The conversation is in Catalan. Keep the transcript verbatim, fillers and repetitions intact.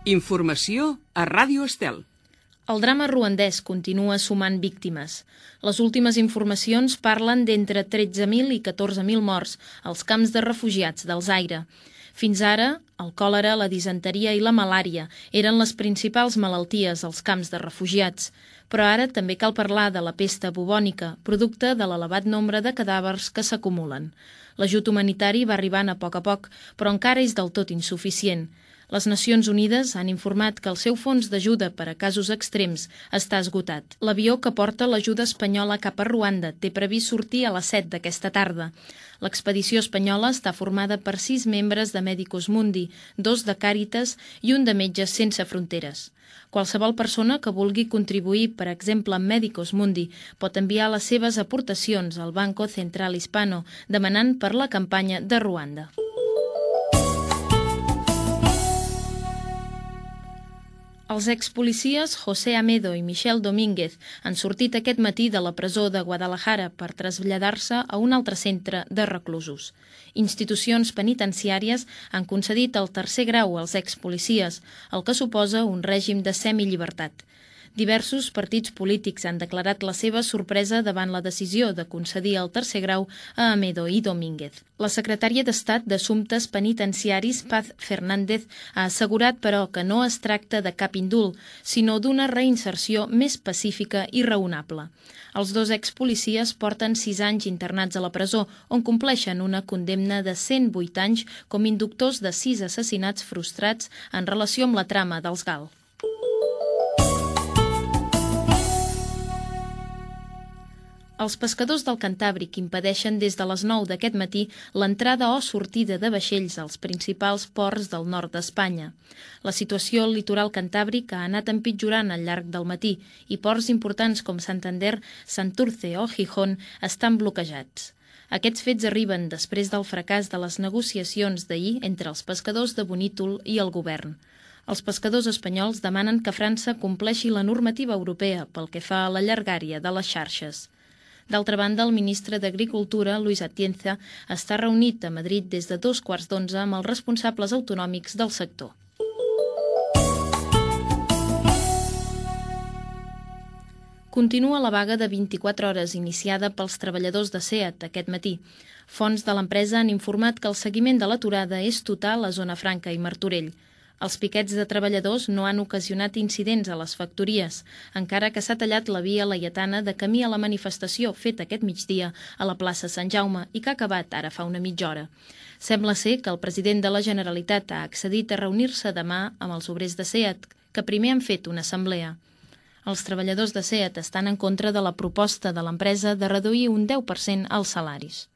Informació a Ràdio Estel. El drama ruandès continua sumant víctimes. Les últimes informacions parlen d'entre tretze mil i catorze mil morts als camps de refugiats del Zaire. Fins ara, el còlera, la disenteria i la malària eren les principals malalties als camps de refugiats. Però ara també cal parlar de la pesta bubònica, producte de l'elevat nombre de cadàvers que s'acumulen. L'ajut humanitari va arribant a poc a poc, però encara és del tot insuficient. Les Nacions Unides han informat que el seu fons d'ajuda per a casos extrems està esgotat. L'avió que porta l'ajuda espanyola cap a Ruanda té previst sortir a les set d'aquesta tarda. L'expedició espanyola està formada per sis membres de Medicus Mundi, dos de Càritas i un de Metges Sense Fronteres. Qualsevol persona que vulgui contribuir, per exemple amb Medicus Mundi, pot enviar les seves aportacions al Banco Central Hispano demanant per la campanya de Ruanda. Els expolicies José Amedo i Michel Domínguez han sortit aquest matí de la presó de Guadalajara per traslladar-se a un altre centre de reclusos. Institucions penitenciàries han concedit el tercer grau als expolicies, el que suposa un règim de semillibertat. Diversos partits polítics han declarat la seva sorpresa davant la decisió de concedir el tercer grau a Amedo i Domínguez. La secretària d'Estat d'Assumptes Penitenciaris, Paz Fernández, ha assegurat, però, que no es tracta de cap indult, sinó d'una reinserció més pacífica i raonable. Els dos expolicies porten sis anys internats a la presó, on compleixen una condemna de cent vuit anys com inductors de sis assassinats frustrats en relació amb la trama dels Gal. Els pescadors del Cantàbric impedeixen des de les nou d'aquest matí l'entrada o sortida de vaixells als principals ports del nord d'Espanya. La situació al litoral cantàbric ha anat empitjorant al llarg del matí i ports importants com Santander, Santurce o Gijón estan bloquejats. Aquests fets arriben després del fracàs de les negociacions d'ahir entre els pescadors de Bonítol i el govern. Els pescadors espanyols demanen que França compleixi la normativa europea pel que fa a la llargària de les xarxes. D'altra banda, el ministre d'Agricultura, Luis Atienza, està reunit a Madrid des de dos quarts d'onze amb els responsables autonòmics del sector. Continua la vaga de vint-i-quatre hores iniciada pels treballadors de SEAT aquest matí. Fonts de l'empresa han informat que el seguiment de l'aturada és total a Zona Franca i Martorell. Els piquets de treballadors no han ocasionat incidents a les factories, encara que s'ha tallat la via laietana de camí a la manifestació feta aquest migdia a la plaça Sant Jaume i que ha acabat ara fa una mitja hora. Sembla ser que el president de la Generalitat ha accedit a reunir-se demà amb els obrers de SEAT, que primer han fet una assemblea. Els treballadors de SEAT estan en contra de la proposta de l'empresa de reduir un deu per cent els salaris.